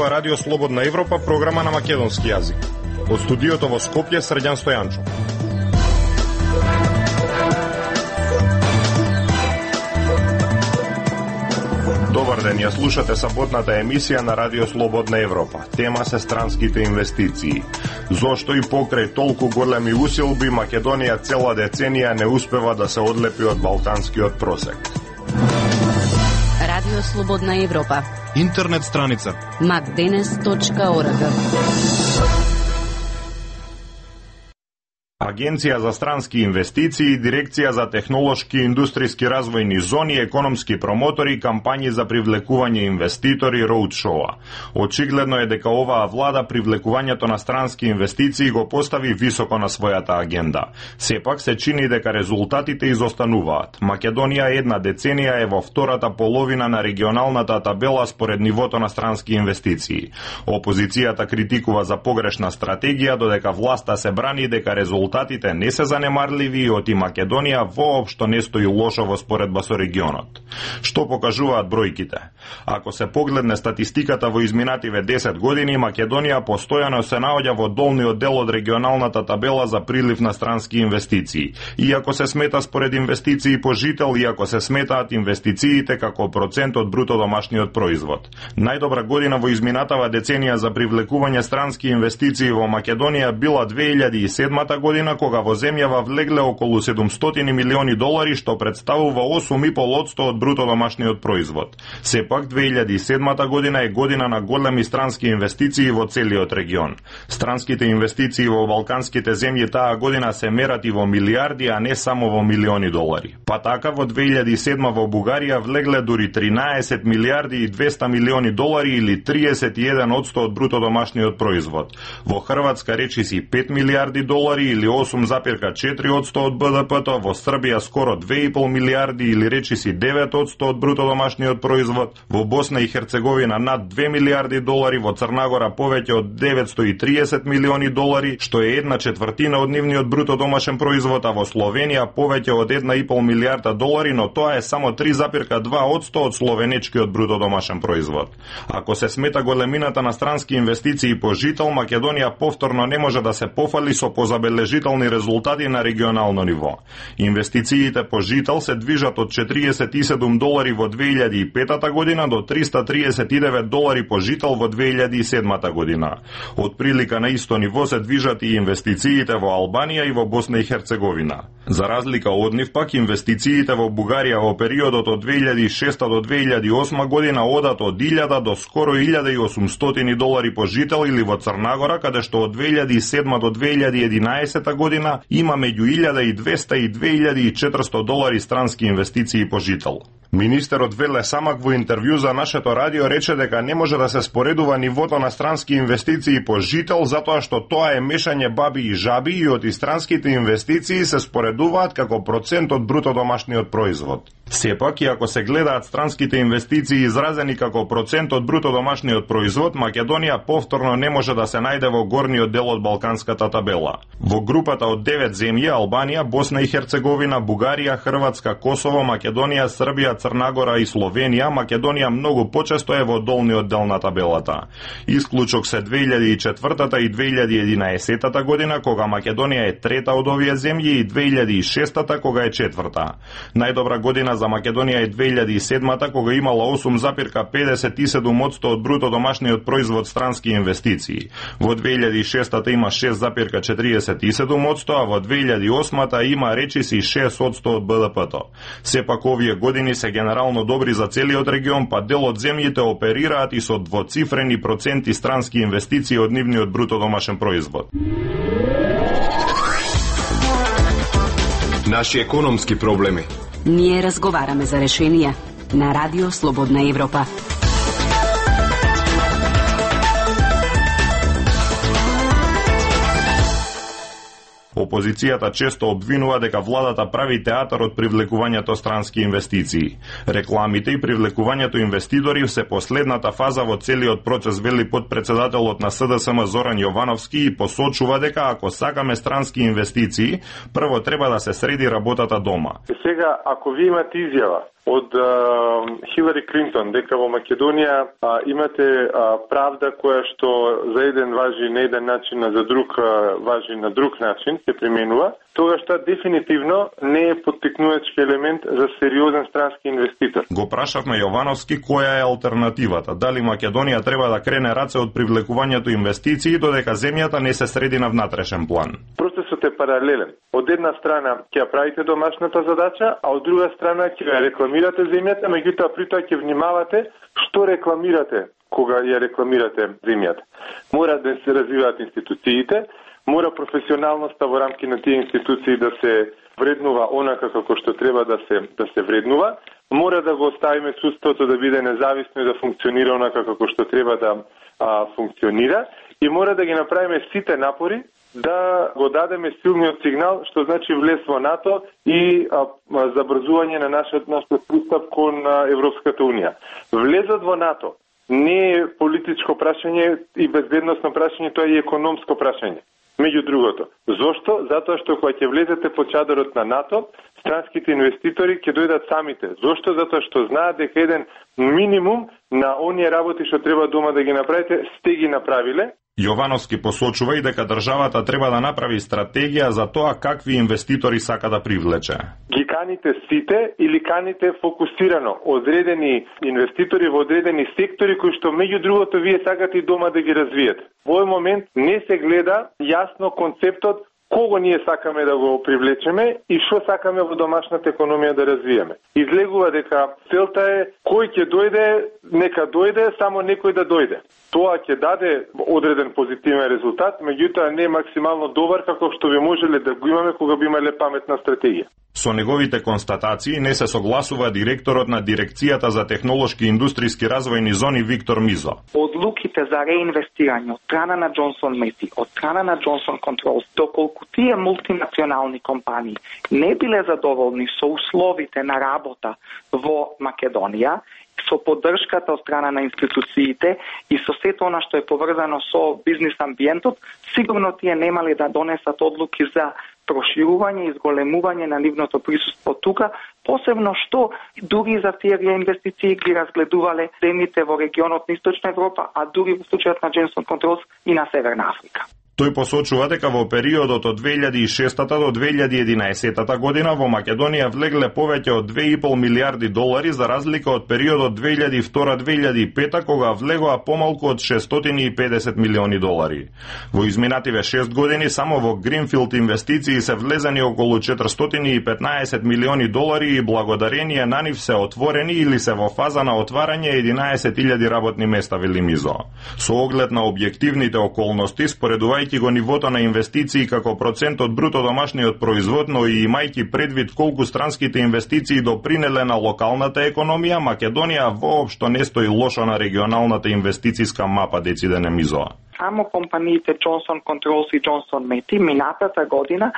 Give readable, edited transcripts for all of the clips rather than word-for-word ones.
Ова Радио Слободна Европа, програма на македонски јазик. Од студиото во Скопје, Срđan Стојанчов. Добар ден, ја слушате саботната емисија на Радио Слободна Европа. Тема се странските инвестиции. Зошто и покрај толку големи усилби Македонија цела деценија не успева да се одлепи од балканскиот просек? Радио Слободна Европа. Интернет страница macdenes.org. Агенција за странски инвестиции, Дирекција за технолошки и индустријски развојни зони, економски промотори, кампањи за привлекување инвеститори, роудшоа. Очигледно е дека оваа влада привлекувањето на странски инвестиции го постави високо на својата агенда. Сепак се чини дека резултатите изостануваат. Македонија една деценија е во втората половина на регионалната табела според нивото на странски инвестиции. Опозицијата критикува за погрешна стратегија, додека власта се брани дека резултатите не се занемарливи и оти Македонија воопшто не стои лошо во споредба со регионот. Што покажуваат бројките? Ако се погледне статистиката во изминативе 10 години, Македонија постојано се наоѓа во долниот дел од регионалната табела за прилив на странски инвестиции. Иако се смета според инвестиции по жител, иако се сметаат инвестициите како процент од бруто домашниот производ. Најдобра година во изминатава деценија за привлекување странски инвестиции во Македонија била 2007 година, кога во земјава влегле околу $700 милиони, што представува 8,5% од бруто домашниот производ. Сепак 2007 година е година на големи странски инвестиции во целиот регион. Странските инвестиции во балканските земји таа година се мерат и во милиарди, а не само во милиони долари. Па така во 2007 во Бугарија влегле дури 13 милиарди и 200 милиони долари или 31% од бруто домашниот производ. Во Хрватска речиси 5 милиарди долари или 8,4% од БДП-то, во Србија скоро 2,5 милиарди или речиси 9% од бруто домашниот производ, во Босна и Херцеговина над 2 милиарди долари, во Црнагора повеќе од 930 милиони долари, што е 1/4 од нивниот бруто домашен производ, а во Словенија повеќе од 1,5 милиарда долари, но тоа е само 3,2% од словенечкиот бруто домашен производ. Ако се смета големината на странски инвестиции по жител, Македонија повторно не може да се пофали со позабележителни резултати на регионално ниво. Инвестициите по жител се движат од $47 во 2005 година до $339 по жител во 2007 година. Од прилика на исто ниво се движат и инвестициите во Албанија и во Босна и Херцеговина. За разлика од нив пак, инвестициите во Бугарија во периодот од 2006 до 2008 година одат од 1000 до скоро $1,800 по жител, или во Црнагора, каде што од 2007 до 2011 година има меѓу $1,200 и $2,400 странски инвестиции по жител. Министерот Веле Самак во интервју за нашето радио рече дека не може да се споредува нивото на странски инвестиции по жител, затоа што тоа е мешање баби и жаби и оти странските инвестиции се споредуваат како процент од бруто домашниот производ. Сепак, и ако се гледаат странските инвестиции изразени како процент од бруто домашниот производ, Македонија повторно не може да се најде во горниот дел од балканската табела. Во групата од 9 земји, Албанија, Босна и Херцеговина, Бугарија, Хрватска, Косово, Македонија, Србија, Црнагора и Словенија, Македонија многу почесто е во долниот дел на табелата. Исклучок се 2004 и 2011 година, кога Македонија е трета од овие земји, и 2006 кога е четврта. Најдобра година за Македонија е 2007 кога имала 8,57% од бруто домашниот производ странски инвестиции. Во 2006 има 6,47%, а во 2008 има речиси 6% од БДП-то. Сепак овие години се генерално добри за целиот регион, па дел од земјите оперираат и со двоцифрени проценти странски инвестиции од нивниот бруто домашен производ. Наши економски проблеми. Ние разговараме за решенија на Радио Слободна Европа. Опозицијата често обвинува дека владата прави театар од привлекувањето странски инвестиции. Рекламите и привлекувањето инвеститори се последната фаза во целиот процес, вели подпредседателот на СДСМ Зоран Јовановски, и посочува дека ако сакаме странски инвестиции, прво треба да се среди работата дома. Сега, ако ви имате изјава од Хилари Клинтон дека во Македонија имате правда која што за еден важи на еден начин, а за друг важи на друг начин се применува, тогаш тоа дефинитивно не е поттикнувачки елемент за сериозен странски инвеститор. Го прашавме Јовановски која е алтернативата. Дали Македонија треба да крене раце од привлекувањето инвестиции додека земјата не се среди на внатрешен план? Процесот е паралелен. Од една страна ќе ја правите домашната задача, а од друга страна ќе ја рекламирате земјата, меѓутоа при тоа ќе внимавате што рекламирате кога ја рекламирате земјата. Мора да се развиваат институциите, мора професионалноста во рамки на тие институции да се вреднува онака како што треба да се вреднува, мора да го оставиме судството да биде независно и да функционира онака како што треба да функционира и мора да ги направиме сите напори да го дадеме силниот сигнал, што значи влез во НАТО и забрзување на нашиот пристап кон Европската Унија. Влезот во НАТО не е политичко прашање и безбедносно прашање, тоа е економско прашање. Меѓу другото. Зошто? Затоа што кога ќе влезете под чадорот на НАТО, странските инвеститори ќе дојдат самите. Зошто? Затоа што знаат дека еден минимум на оние работи што треба дома да ги направите, сте ги направиле. Јовановски посочува и дека државата треба да направи стратегија за тоа какви инвеститори сака да привлече. Ги каните сите или каните фокусирано одредени инвеститори во одредени сектори кои што меѓу другото вие сакате и дома да ги развиете. Во овој момент не се гледа јасно концептот кого ние сакаме да го привлечеме и што сакаме во домашната економија да развиеме. Излегува дека целта е кој ќе дојде, нека дојде, само некој да дојде. Тоа ќе даде одреден позитивен резултат, меѓутоа не е максимално добар како што би можеле да го имаме кога би имале паметна стратегија. Со неговите констатации не се согласува директорот на Дирекцијата за технолошки и индустријски развојни зони Виктор Мизо. Одлуките за реинвестирање од страна на Джонсон Мети, од страна на Джонсон Контролс, доколку тие мултинационални компании не биле задоволни со условите на работа во Македонија, со поддршката од страна на институциите и со сето она што е поврзано со бизнис амбиентот, сигурно тие немали да донесат одлуки за проширување и изголемување на нивното присуство тука, посебно што дури за тие реинвестиции ги разгледувале земјите во регионот на Источна Европа, а дури во случајот на Джонсон Контролс и на Северна Африка. Тој посочува дека во периодот од 2006 до 2011 година во Македонија влегле повеќе од 2,5 милиарди долари за разлика од периодот 2002-2005 кога влегоа помалку од 650 милиони долари. Во изминативе 6 години само во Гринфилд инвестиции се влезени околу 415 милиони долари и благодарение на нив се отворени или се во фаза на отварање 11.000 работни места, вели Мизо. Со оглед на објективните околности, споредувајќи го нивото на инвестиции како процент од бруто домашниот производ, но и имајќи предвид колку странските инвестиции допринеле на локалната економија, Македонија воопшто не стои лошо на регионалната инвестициска мапа, децидене Мизоа. Само компаниите Джонсон Контролс и Джонсон Мети минатата година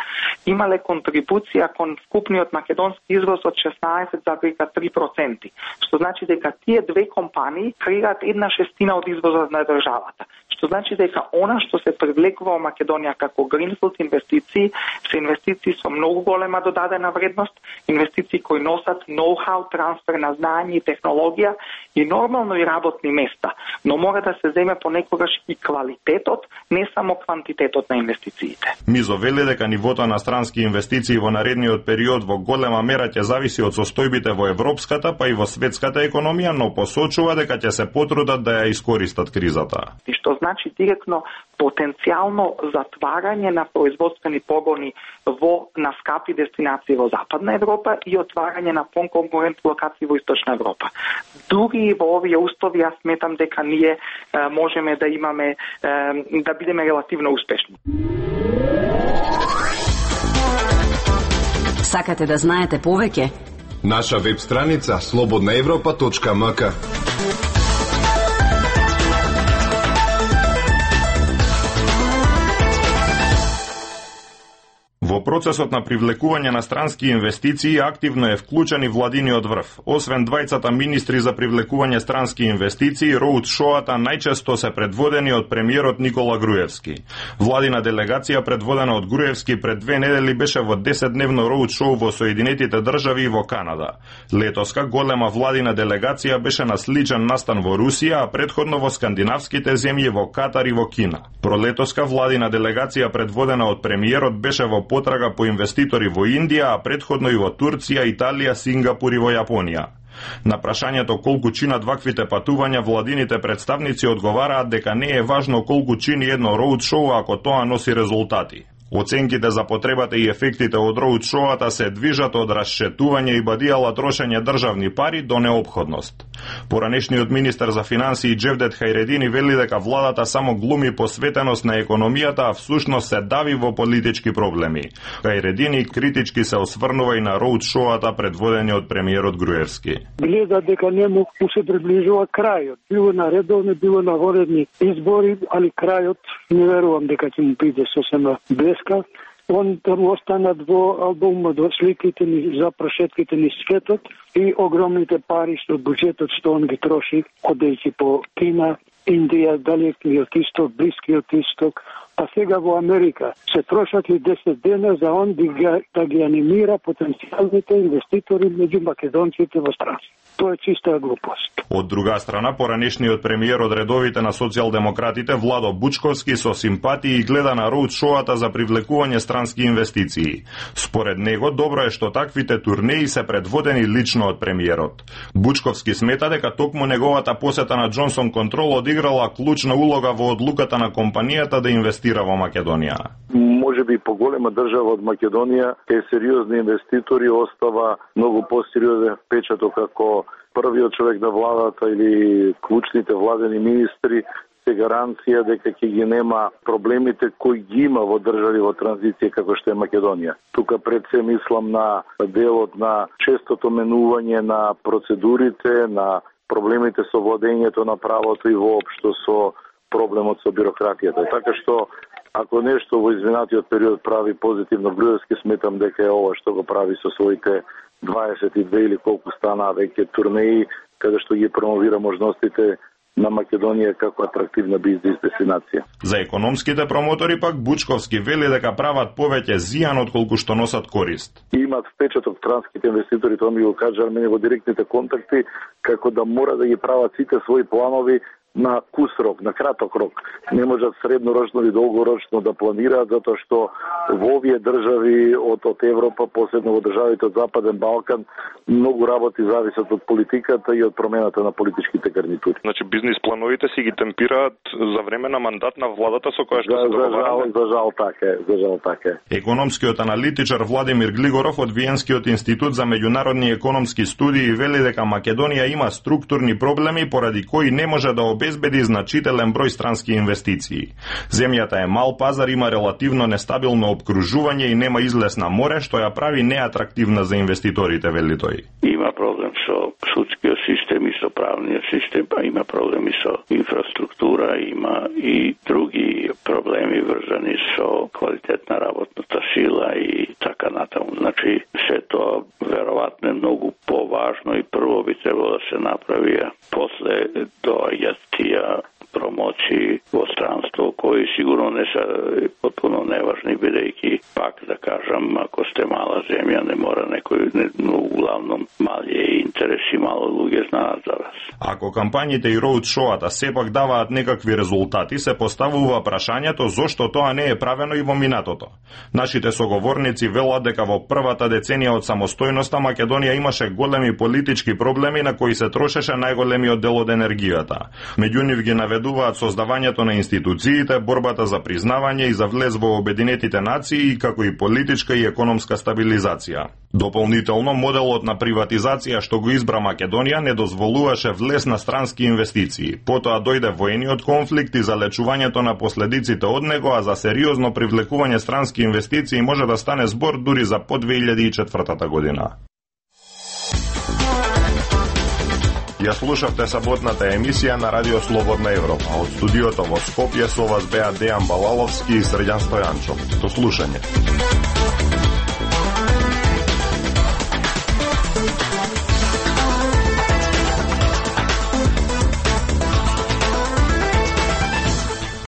имале контрибуција кон вкупниот македонски извоз од 16,3%, што значи дека тие две компании креираат 1/6 од извозот на државата. Што значи дека она што се привлекува во Македонија како Гринфилд инвестиции се инвестиции со многу голема додадена вредност, инвестиции кои носат ноу-хау, трансфер на знаење и технологија и нормално и работни места, но мора да се земе понекогаш и квалитетот, не само квантитетот на инвестициите. Мизо вели дека нивото на странски инвестиции во наредниот период во голема мера ќе зависи од состојбите во европската па и во светската економија, но посочува дека ќе се потрудат да ја искористат кризата. И што значи директно потенцијално затварање на производствени погони на скапи дестинации во Западна Европа и отварање на конкурентни локации во Источна Европа. Дури во овие услови јас сметам дека ние можеме да имаме да бидеме релативно успешни. Сакате да знаете повеќе? Наша веб страница slobodnaevropa.mk. Во процесот на привлекување на странски инвестиции активно е вклучен и владиниот врв. Освен двајцата министри за привлекување странски инвестиции, роудшоата најчесто се предводени од премиерот Никола Груевски. Владина делегација предводена од Груевски пред 2 недели беше во 10-дневно роудшоу во Соединетите држави и во Канада. Летоска голема владина делегација беше на сличен настан во Русија, а предходно во скандинавските земји, во Катар и во Кина. Пролетоска владина делегација предводена од премиерот беше во потрага по инвеститори во Индија, а предходно и во Турција, Италија, Сингапур и во Јапонија. На прашањето колку чинат ваквите патувања, владините представници одговараат дека не е важно колку чини едно роудшоу ако тоа носи резултати. Оценките за потребата и ефектите од роудшоата се движат од расчетување и бадијала трошење државни пари до неопходност. Поранешниот министер за финансии Джевдет Хајредини вели дека владата само глуми посветеност на економијата, а всушност се дави во политички проблеми. Хајредини критички се осврнува и на роудшоата предводени од премиерот Груевски. Гледа дека нему се приближува крајот. Било на редовни, било на воредни избори, али крајот не верувам дека ќе му биде сосема блеска. Он таму останат во албумот до сликите ни за прошетките ни светот и огромните пари што буџетот што он ги троши, одејќи по Кина, Индија, Далекиот Исток, Блискиот Исток, а сега во Америка се трошат и 10 дена за он да ги анимира потенцијалните инвеститори меѓу македонците во странство. Тоа е чиста глупост. Од друга страна, поранешниот премиер од редовите на социјалдемократите Владо Бучковски со симпатии гледа на роудшоата за привлекување странски инвестиции. Според него, добро е што таквите турнеи се предводени лично од премиерот. Бучковски смета дека токму неговата посета на Джонсон Контрол одиграла клучна улога во одлуката на компанијата да инвестира во Македонија. Можеби поголема држава од Македонија кај сериозни инвеститори остава многу посериозен впечаток како првиот човек на владата или клучните владени министри се гаранција дека ќе ги нема проблемите кои ги има во држави во транзиција како што е Македонија. Тука пред се мислам на делот на честото менување на процедурите, на проблемите со владењето на правото и воопшто со проблемот со бирократијата. Така што ако нешто во изминатиот период прави позитивно Груевски, сметам дека е ова што го прави со своите 22 или колку стана веќе турнеи, каде што ги промовира можностите на Македонија како атрактивна бизнес дестинација. За економските промотори пак Бучковски вели дека прават повеќе зијан отколку што носат корист. Имаат впечаток странските инвеститори, тоа ми го кажа мене во директните контакти, како да мора да ги прават сите своји планови на кус рок, на краток рок. Не можат среднорочно или долгорочно да планираат, затоа што во овие држави од Европа, посебно во државите од Западен Балкан, многу работи зависат од политиката и од промената на политичките гарнитури. Значи бизнис плановите си ги темпираат за време на мандат на владата со која што се договараме? За жал така е. Економскиот аналитичар Владимир Глигоров од Виенскиот институт за меѓународни економски студии вели дека Македонија има структурни проблеми поради кои не може да обезбеди значителен број странски инвестиции. Земјата е мал пазар, има релативно нестабилно обкружување и нема излез на море, што ја прави неатрактивна за инвеститорите, вели тој. Има проблем со судскиот систем и со правниот систем, па има проблеми со инфраструктура, има и други проблеми врзани со квалитетна работната сила и така натаму. Значи, се тоа веројатно е многу поважно и прво би требало да се направи, после доаѓаат тие промоции во странство, кои сигурно не се потpuno неважни, бидејќи, пак да кажам, ако сте мала земја, не мора некој, но углавном мали интереси, мало луѓе знаат за вас. Ако кампањите и роудшоата сепак даваат некакви резултати, се поставува прашањето зошто тоа не е правено и во минатото. Нашите соговорници велат дека во првата деценија од самостојноста Македонија имаше големи политички проблеми на кои се трошеше најголемиот дел од енергијата. Меѓу нив ги наведуваат создавањето на институциите, борбата за признавање и за влез во Обединетите нации, како и политичка и економска стабилизација. Дополнително, моделот на приватизација што го избра Македонија не дозволуваше влез на странски инвестиции. Потоа дојде воениот конфликт и залечувањето на последиците од него, а за сериозно привлекување странски инвестиции може да стане збор дури за по 2004 година. Ја слушавте саботната емисија на Радио Слободна Европа. Од студиото во Скопје со вас беа Дејан Балаловски и Срđan Стојанчов. До слушање.